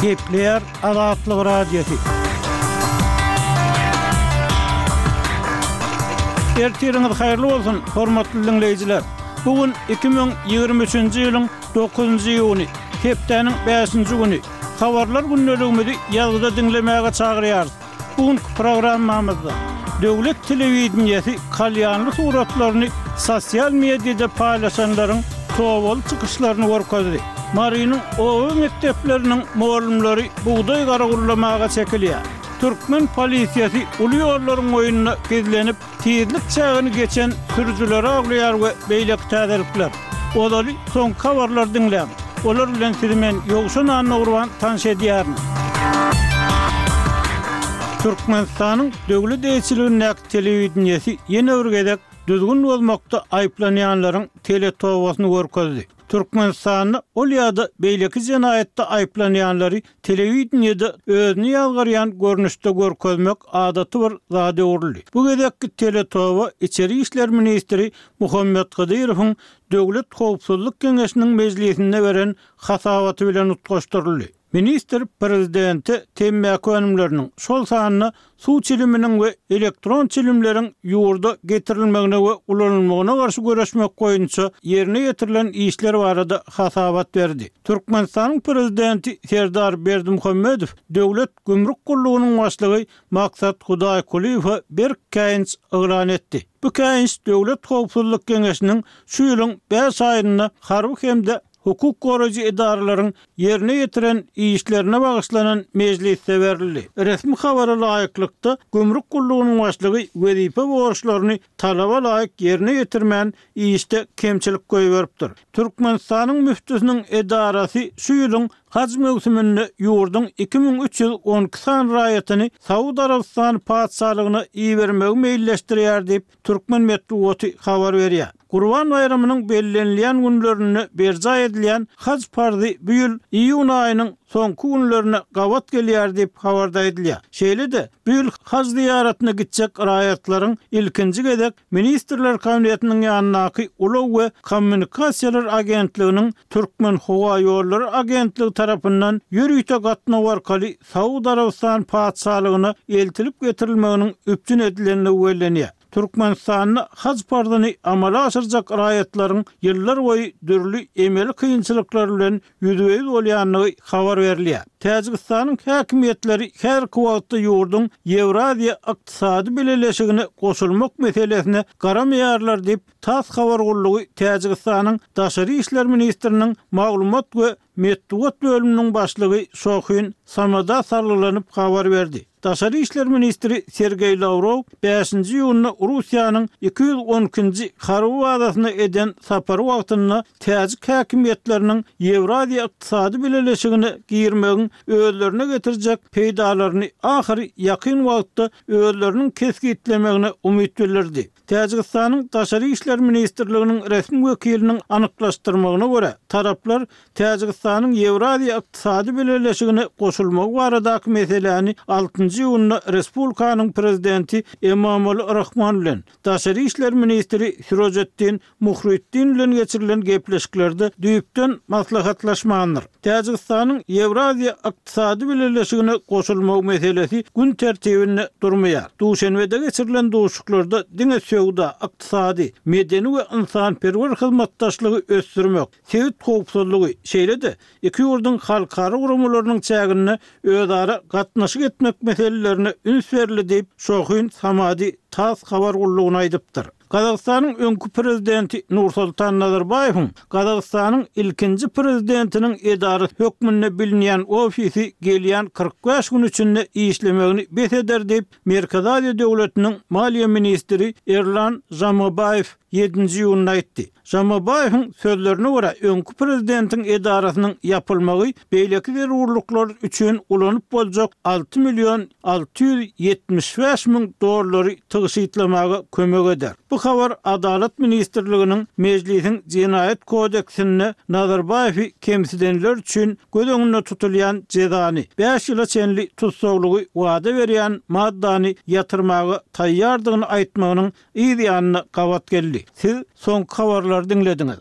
Gepleýär Azatlyk Radiosy. Ertiriňiz haýyrly bolsun, hormatly diňleýjiler! Bu gün 2023-nji ýylyň dokuzynjy iýuny, hepdäniň bäşinji güni. Habarlar gündeligimizi ýazgyda diňlemäge çagyrýarys. Bu günki programmamyzda döwlet telewideniýesi kalýanly suratlaryny sosial mediada paýlaşanlaryň tobaly çykyşlaryny görkezdi. Marynyň oba mekdepleriniň mugallymlary bugdaý garawullamaga çekilýär. Türkmen polisiýasy uly ýollaryň boýunda gizlenip, Tizlik çägini geçen sürüjileri awlaýar we beýleki täzelikler. Ozaly soňky habarlary diňläň. Olar bilen sizi men Ýowşan Annagurban tanyş edýärin. Türkmenistanyň döwlet eýeçiligindäki telewideniýesi ýene bir gezek düzgün bozmakda aýyplanýanlaryň teletobasyny görkezdi. Türkmenistanda ol ýa-da beýleki jenaýatda aýyplanýanlary telewideniýede özüni ýazgarýan görnüşde görkezmek adaty bir zada öwrüldi. Bu gezekki teletoba içeri işler ministri Muhammet Hydyrowyň Döwlet howpsuzlyk geňeşiniň mejlisinde beren hasabaty bilen utgaşdyryldy. Ministr prezidente temmäki önümleriniň, şol sanda suw çiliminiň we elektron çilimleriň ýurda getirilmegine we ulanylmagyna garşy göreşmek boýunça ýerine ýetirilen işler barada hasabat berdi. Türkmenistanyň Prezidenti Serdar Berdimuhamedow Döwlet gümrük gullugynyň başlygy Maksat Hudaýkulyýewe berk käýinç yglan etdi. Bu käýinç Döwlet howpsuzlyk geňeşiniň şu ýylyň bäş aýynda harby hem-de hukuk goraýjy edaralaryň ýerine ýetiren işlerine bagyşlanan mejlisde berildi. Resmi habara laýyklykda, gümrük gullugynyň başlygy wezipe borçlaryny talaba laýyk ýerine ýetirmän, işde kemçilik goýberipdir. Türkmenistanyň müftüsiniň edarasy şu ýylyň haj möwsüminde ýurduň 2312 sany raýatyny Saud Arabystany Patyşalygyna ibermegi meýilleşdirýär diýip, Türkmen metbugaty habar berýär. Gurban baýramynyň bellenilýän günlerinde berjaý edilýän haj parzy bu ýyl iýun aýynyň soňky günlerine gabat gelýär diýip, habarda aýdylýar. Şeýle-de, bu ýyl haj zyýaratyna gitjek raýatlaryň ilkinji gezek Ministrler Kabinetiniň ýanyndaky Ulag we kommunikasiýalar agentliginiň Türkmenhowaýollary agentligi tarapyndan ýörite gatnaw arkaly Saud Arabystany Patyşalygyna eltilip getirilmeginiň üpjün edilendigi bellenýär. Türkmenistanda haj parzyny amala aşyrjak raýatlaryň ýyllar boýy dürli emeli kynçylyklar bilen ýüzbe-ýüz bolýandygy habar berilýär. Täjigistanyň häkimiýetleri häzirki wagtda ýurduň Ýewraziýa Ykdysady Bileleşigine goşulmak meselesine garamaýarlar diýip, tass habar gullugy Täjigistanyň daşary işler ministriniň maglumat we Metbugat bölüminiň başlygy Şohin Samada salgylanyp habar berdi. Daşary işler ministri Sergeý Lawrow bäşinji iýunda Russiýanyň 212-nji harby bazasyna eden sapary wagtynda täjik häkimiýetleriniň Ýewraziýa Ykdysady Bileleşigine girmegiň özlerine getirjek peýdalaryny ahyry ýakyn wagtda özleriniň kesgitlemegine umyt bildirdi. Täjigistanyň Daşary işler ministrliginiň resmi wekiliniň anyklaşdyrmagyna görä, taraplar Täjigistanyň Ýewraziýa Ykdysady Bileleşigine goşulmagy baradaky meseläni altynjy iýunda respublikanyň Prezidenti Emomali Rahmon bilen daşary işler ministri Sirojetdin Muhriddin bilen geçirilen gepleşiklerde düýpden maslahatlaşmandyr. Täjigistanyň Ýewraziýa Ykdysady Bileleşigine goşulmagy meselesi gün tertibinde durmaýar. Duşenbede geçirilen duşuşyklarda diňe söwda, ykdysady, medeni we ynsanperwer hyzmatdaşlygy ösdürmek, sebit howpsuzlygy, şeýle-de iki ýurduň halkara guramalarynyň çäginde özara gatnaşyk etmek meselelerine üns berildi diýip, Şohin Samadi tass habar gullugyna aýdypdyr. Gazagystanyň öňki prezidenti Nursultan Nazarbaýewiň Gazagystanyň ilkinji prezidentiniň edarasy hökmünde bilinýän ofisi gelýän 45 gün içinde işlemegini bes eder diýip, Merkezi Aziýa döwletiniň maliýe ministri Erlan Žamabaýew ýedinji iýunda aýtdy. Žamabaýewiň sözlerine görä, öňki prezidentiň edarasynyň ýapylmagy beýleki zerurlyklar üçin ulanyp boljak 6 million 675 müň dollary tygşytlamaga kömek eder. Bu habar Adalat ministrliginiň Mejlisiň Jenaýat kodeksinde Nazarbaýewi kemsidenler üçin göz öňünde tutulýan jezany, bäş ýyla çenli tussaglygy wada berýän maddany ýatyrmaga taýýardygyny aýtmagynyň yz ýanyna gabat geldi. Siz soňky habarlary diňlediňiz.